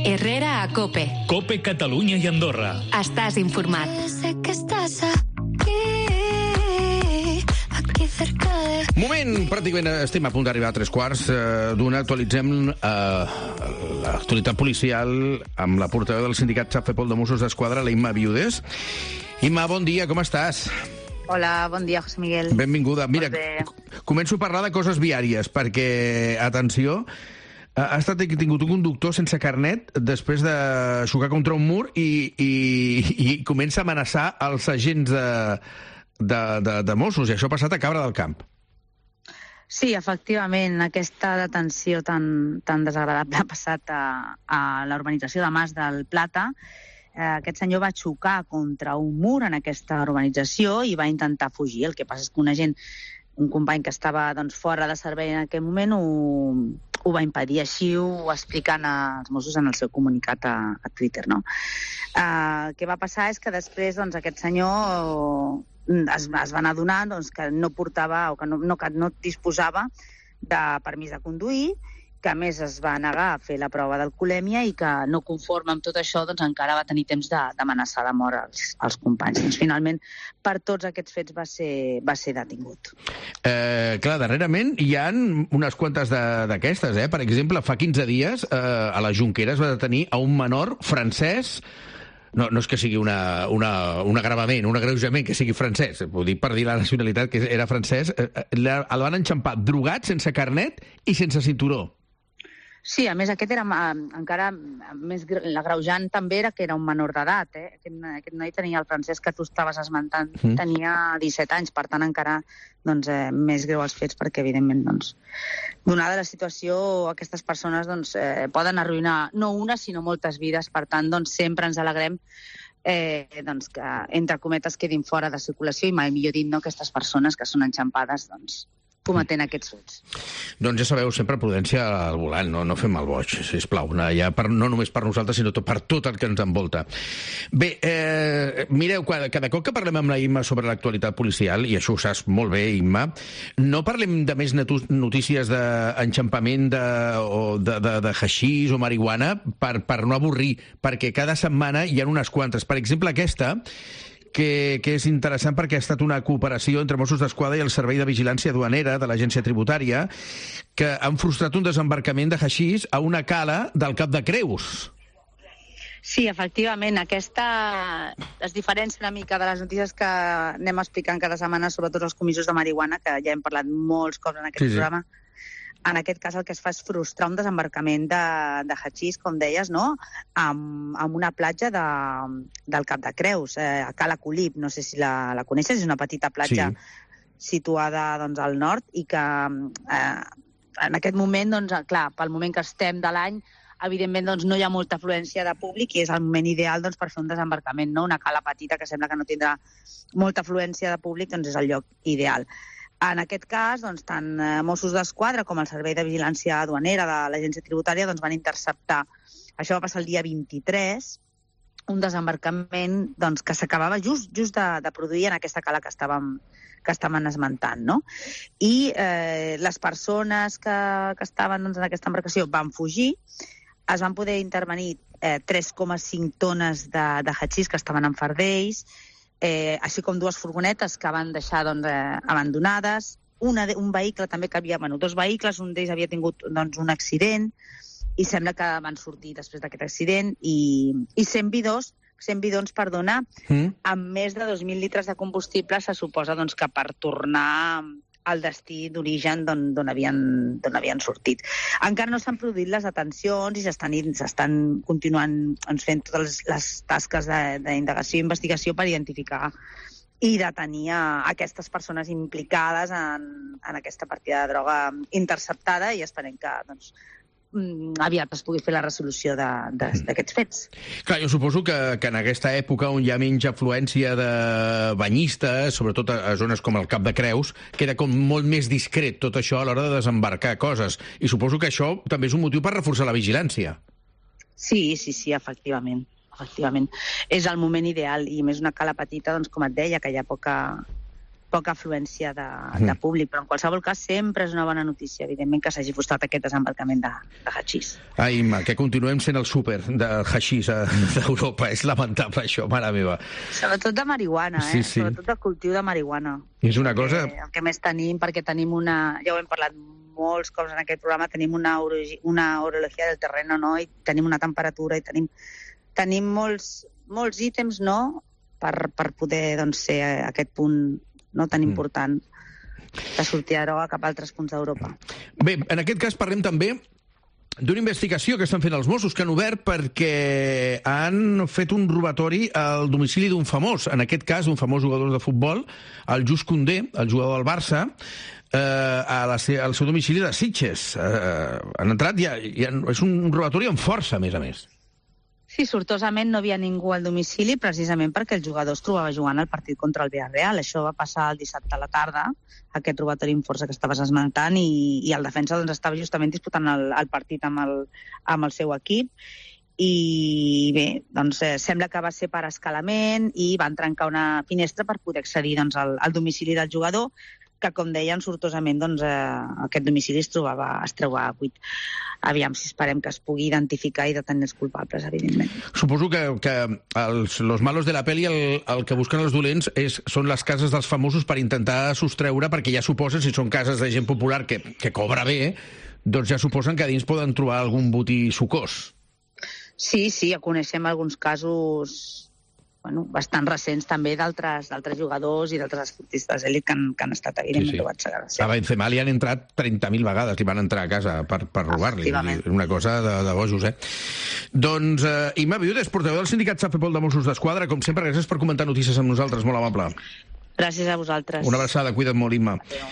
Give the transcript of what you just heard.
Herrera a COPE. COPE Catalunya i Andorra. Estàs informat. Sé que estàs aquí cerca de... Moment, pràcticament estem a punt d'arribar a 3:15 Actualitzem l'actualitat policial amb la portaveu del sindicat Xapfepol de Mossos d'Esquadra, la Imma Viudes. Imma, bon dia, com estàs? Hola, bon dia, José Miguel. Benvinguda. Mira, començo a parlar de coses viàries, perquè, atenció, ha estat detingut un conductor sense carnet després de xocar contra un mur i comença a amenaçar els agents de Mossos, i això ha passat a Cabra del Camp. Sí, efectivament, aquesta detenció tan desagradable ha passat a la urbanització de Mas del Plata. Aquest senyor va xocar contra un mur en aquesta urbanització i va intentar fugir. El que passa és que un company que estava fora de servei en aquell moment ho va impedir. Així ho expliquen els Mossos en el seu comunicat a Twitter. No? El que va passar és que després aquest senyor es van adonar que no portava o que no disposava de permís de conduir, que a més es va negar a fer la prova d'alcoholèmia i que no conforme amb tot això encara va tenir temps d'amenaçar de mort als companys. Finalment, per tots aquests fets va ser detingut. Clar, darrerament hi ha unes quantes d'aquestes. Per exemple, fa 15 dies a la Jonquera es va detenir a un menor francès. No és que sigui un agravament, un agreujament que sigui francès, ho dic per dir la nacionalitat, que era francès. El van enxampar drogat, sense carnet i sense cinturó. Sí, a més, aquest era encara més... L'agreujant també era que era un menor d'edat. Aquest noi tenia, el francès que tu estaves esmentant, tenia 17 anys, per tant, encara més greu els fets, perquè, evidentment, donada la situació, aquestes persones poden arruïnar no una, sinó moltes vides. Per tant, sempre ens alegrem que, entre cometes, quedin fora de circulació i, mai millor dit, aquestes persones que són enxampades, cometent aquests fets. Doncs ja sabeu, sempre prudència al volant, no fem el boig, sisplau, no només per nosaltres, sinó per tot el que ens envolta. Bé, mireu, cada cop que parlem amb la Imma sobre l'actualitat policial, i això ho saps molt bé, Imma, no parlem de més notícies d'enxampament de haixís o marihuana per no avorrir, perquè cada setmana hi ha unes quantes. Per exemple, aquesta, que és interessant perquè ha estat una cooperació entre Mossos d'Esquadra i el Servei de Vigilància Duanera de l'Agència Tributària, que han frustrat un desembarcament de haixís a una cala del Cap de Creus. Sí, efectivament, aquesta es diferencia una mica de les notícies que anem explicant cada setmana, sobretot els comissos de marihuana, que ja hem parlat molts cops en aquest programa. En aquest cas el que es fa és frustrar un desembarcament de haixís, com deies, no? Amb una platja del Cap de Creus, a Cala Colip, no sé si la coneixes, és una petita platja situada al nord i que en aquest moment, clar, pel moment que estem de l'any, evidentment no hi ha molta afluència de públic i és el moment ideal per fer un desembarcament, no? Una cala petita que sembla que no tindrà molta afluència de públic, és el lloc ideal. En aquest cas, tant Mossos d'Esquadra com el Servei de Vigilància Duanera de l'Agència Tributària van interceptar, això va passar el dia 23, un desembarcament que s'acabava just de produir en aquesta cala que estaven esmentant. No? I les persones que estaven en aquesta embarcació van fugir, es van poder intervenir 3,5 tones de haixís que estaven en fardells, així com 2 furgonetes que van deixar abandonades, un vehicle també que havia... dos vehicles, un d'ells havia tingut un accident i sembla que van sortir després d'aquest accident i 100 bidons, amb més de 2.000 litres de combustible se suposa que per tornar al destí d'origen d'on havien sortit. Encara no s'han produït les detencions i s'estan continuant fent totes les tasques d'indagació i investigació per identificar i detenir aquestes persones implicades en aquesta partida de droga interceptada i esperem que aviat es pugui fer la resolució d'aquests fets. Clar, jo suposo que en aquesta època on hi ha menys afluència de banyistes, sobretot a zones com el Cap de Creus, queda com molt més discret tot això a l'hora de desembarcar coses. I suposo que això també és un motiu per reforçar la vigilància. Sí, efectivament. És el moment ideal i més una cala petita, com et deia, que hi ha poca afluència de públic, però en qualsevol cas sempre és una bona notícia, evidentment, que s'hagi frustrat aquest desembarcament de haixís. Imma, que continuem sent el súper de haixís d'Europa. És lamentable això, mare meva. Sobretot de marihuana, Sí, sí. Sobretot de cultiu de marihuana. És una cosa... El que més tenim, perquè tenim ja ho hem parlat molts cops en aquest programa, tenim una orologia del terreno, no? I tenim una temperatura i tenim molts ítems, no?, per poder ser aquest punt no tan important de sortir a droga cap a altres punts d'Europa. Bé, en aquest cas parlem també d'una investigació que estan fent els Mossos, que han obert perquè han fet un robatori al domicili d'un famós, en aquest cas un famós jugador de futbol, el Just Koundé, el jugador del Barça, al seu domicili de Sitges. Han entrat és un robatori amb força, a més. Sí, sortosament no havia ningú al domicili, precisament perquè el jugador es trobava jugant al partit contra el Villarreal. Això va passar el dissabte a la tarda, aquest robatori amb força que estaves esmentant, i el defensa estava justament disputant el partit amb el seu equip. I bé, sembla que va ser per escalament i van trencar una finestra per poder accedir al domicili del jugador, que, com deien, sortosament aquest domicili es trobava buit. Aviam si esperem que es pugui identificar i detenir els culpables, evidentment. Suposo que los malos de la peli el que busquen els dolents són les cases dels famosos per intentar sostreure, perquè ja suposen, si són cases de gent popular que cobra bé, doncs ja suposen que a dins poden trobar algun botí sucós. Sí, ja coneixem alguns casos bastant recents també d'altres jugadors i d'altres esportistes d'elit que han estat evidentment trobats a casa. A Benzema li han entrat 30.000 vegades, li van entrar a casa per robar-li. Una cosa de bojos, Doncs, Imma Viudes, portaveu del sindicat SAFEPOL de Mossos d'Esquadra, com sempre, gràcies per comentar notícies amb nosaltres, molt amable. Gràcies a vosaltres. Una abraçada, cuida't molt, Imma. Adéu.